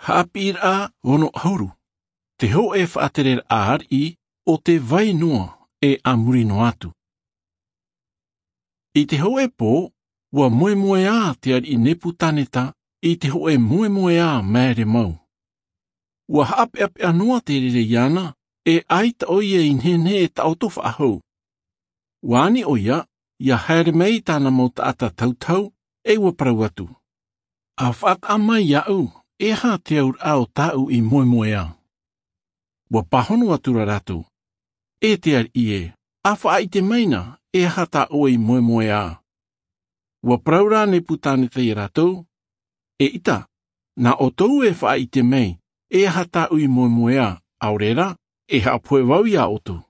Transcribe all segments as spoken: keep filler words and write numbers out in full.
Haʻapiʻiraʻa ono ʻahuru. Te hōʻē faʻatereraʻa ariʻi o te vai noa e a muri noa atu. I te hōʻē pō, ua moemoeā te ariʻi Nepukaneta i te hōʻē moemoeā māere mau. Ua haʻapeʻapeʻa noa te reira iāna, e ʻaita ʻoia i nehenehe e taʻoto faʻahou. Ua ani ʻoia, ʻia haere mai i tāna mau taʻata tautau, e ua parau atu. ʻA faʻataʻa mai iāʻu, e aha te auraʻa o tāʻu i moemoeā? Ua pāhono atu ra rātou. E te ariʻi ē, ʻa faʻaʻite mai na, e aha tā ʻoe i moemoeā? Ua parau ra Nepukaneta iā rātou. E ʻita, nā ʻoutou e faʻaʻite mai, e aha tāʻu i moemoeā, ʻaore rā, e haʻapohe vau iā ʻoutou.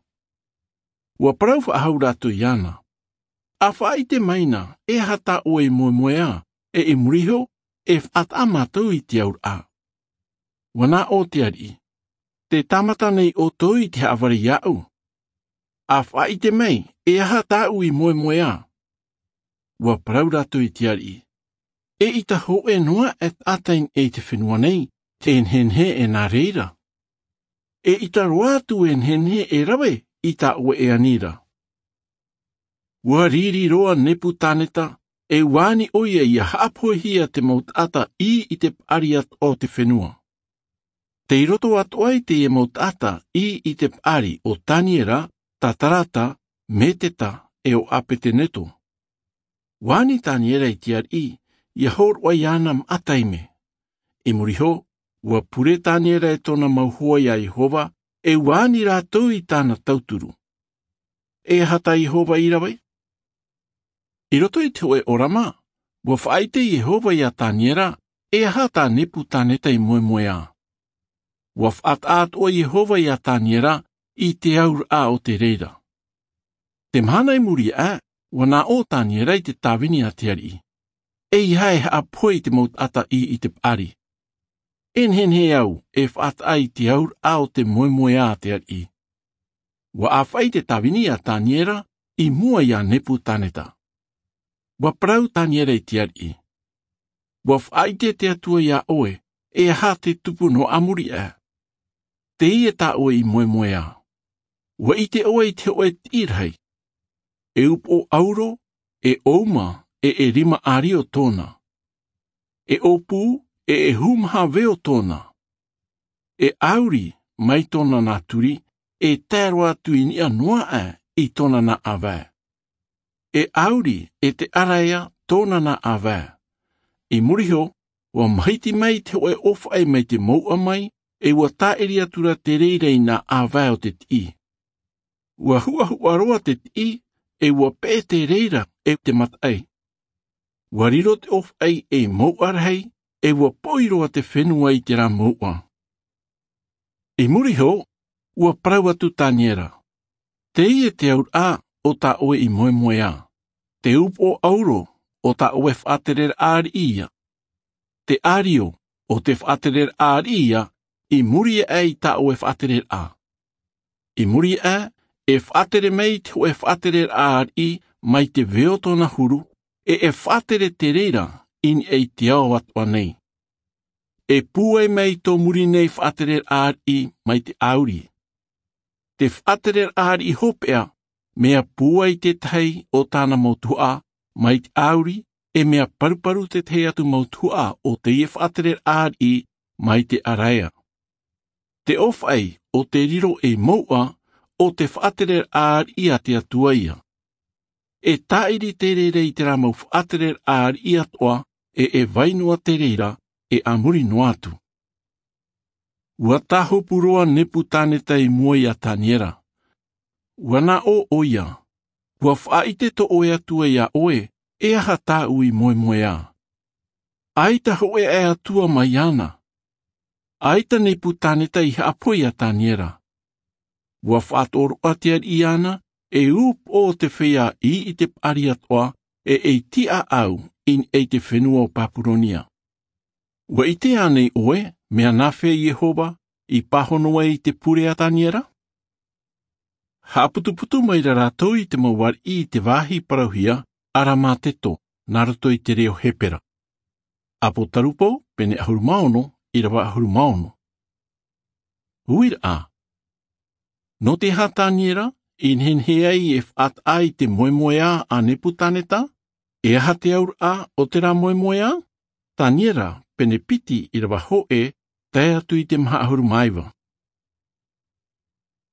Ua parau faʻahou rātou iāna. ʻA faʻaʻite mai na, e aha tā ʻoe i moemoeā, e i muri iho, e faʻataʻa mātou i te auraʻa. Ua nā ʻō te ariʻi. Te tāmata nei ʻoutou i te haʻavare iāʻu. ʻA faʻaʻite mai, e aha tāʻu i moemoeā? Ua parau rātou i te ariʻi. E ʻita hōʻē noa e taʻata i niʻa i te fenua nei, e nehenehe e nā reira. E ʻita roa atu e nehenehe e rave i tā ʻoe e ani ra. Ua riri roa Nepukaneta, e ua ani ʻoia ʻia haʻapohehia te mau taʻata ʻī i te paʻari atoʻa o te fenua. Tei roto atoʻa i teie mau taʻata ʻī i te paʻari o Taniera, Sataraka, Meseka, e o Apetenego. Ua ani Taniera i te ariʻi, ʻia hōroʻa iāna maʻa taime. I muri iho, ua pure Taniera e tōna mau hoa iā Iehova, e ua ani rātou i tāna tauturu. E aha tā Iehova i rave? I roto i te hōʻē ʻōrama, ua faʻaʻite Iehova iā Taniera, e aha tā Nepukaneta i moemoeā. Ua faʻataʻa atoʻa Iehova iā Taniera i te auraʻa o te reira. Te mahana i muri aʻe, ua nā ʻō Taniera i te tāvini a te ariʻi. Eiaha e haʻapohe i te mau taʻata ʻī i te paʻari. E nehenehe au e faʻataʻa i te auraʻa o te moemoeā a te ariʻi. Ua ʻāfaʻi te tāvini a Taniera i mua iā Nepukaneta. Ua parau Taniera i te ariʻi. Ua faʻaʻite te Atua iā ʻoe, e aha te tupu noa a muri aʻe. Teie tā ʻoe i moemoeā. Ua ʻite ʻoe i te hōʻē tiʻi rahi. E upoʻo ʻauro, e ʻouma, e e rima ʻārio tōna. E ʻōpū, e e hūmaha veo tōna. E ʻauri, mai tōna nā turi, e tae roa atu i niʻa noa aʻe i tōna nā ʻāvae. E ʻauri, e te ʻaraea, tōna nā ʻāvae. I muri iho, ua mahiti mai te hōʻē ʻōfaʻi mai te mouʻa mai, e ua tāʻiri atu ra te reira i nā ʻāvae o te tiʻi. Ua huʻahuʻa roa te tiʻi, e ua peʻe te reira e te mataʻi. Ua riro te ʻōfaʻi ei mouʻa rahi, e ua poʻi roa te fenua i terā mouʻa. I muri iho, ua parau atu Taniera. Teie te auraʻa o tā ʻoe i moemoeā. Te upoʻo ʻauro o tā ʻoe faʻatereraʻa ariʻi ia. Te ʻārio o te faʻatereraʻa ariʻi ia, i muri aʻe i tā ʻoe faʻatereraʻa. I muri aʻe, e faʻatere mai te hōʻē faʻatereraʻa ariʻi mai te veo tōna huru, e e faʻatere te reira i niʻa i te ao atoʻa nei. E pūai mai tō muri nei faʻatereraʻa ariʻi mai te ʻauri. Te faʻatereraʻa ariʻi hopeʻa, mea pūai te tahi o tāna mau tuhaʻa mai te ʻauri, e mea paruparu te tahi atu mau tuhaʻa o teie faʻatereraʻa ariʻi mai te ʻaraea. Te ʻōfaʻi o te riro ei mouʻa o te faʻatereraʻa ariʻi a te Atua ia. E tāʻiri te reira i terā mau faʻatereraʻa ariʻi atoʻa, e e vai noa te reira, e a muri noa atu. Ua tāhopu roa Nepukaneta i mua iā Taniera. Ua nā ʻō ʻoia. Ua faʻaʻite tō ʻoe Atua iā ʻoe, e aha tāʻu i moemoeā. ʻAita hōʻē aʻe atua mai iāna. ʻAita Nepukaneta i haʻapohe iā Taniera. Ua faʻatoroʻa te ariʻi iāna, e upoʻo o te feiā ʻī i te paʻari atoʻa, e e tiʻaʻau i niʻa i te fenua o Papuronia. Ua ʻite ānei ʻoe, mea nāfea Iehova i pāhono ai i te pure a Taniera? Haʻaputuputu mai ra rātou i te mau ariʻi i te vāhi parauhia, ʻAramateko, nā roto i te reo Hepera. ʻApokarupō, pene ʻahuru mā ono, ʻirava ʻahuru mā ono. Uiraʻa. Nō te aha taniera i nehenehe ai e faʻataʻa i te moemoeā a nepukaneta? E aha te auraʻa o terā moemoeā? Taniera pene piti ʻirava hōʻē, tae atu i te maha ʻahuru mā iva.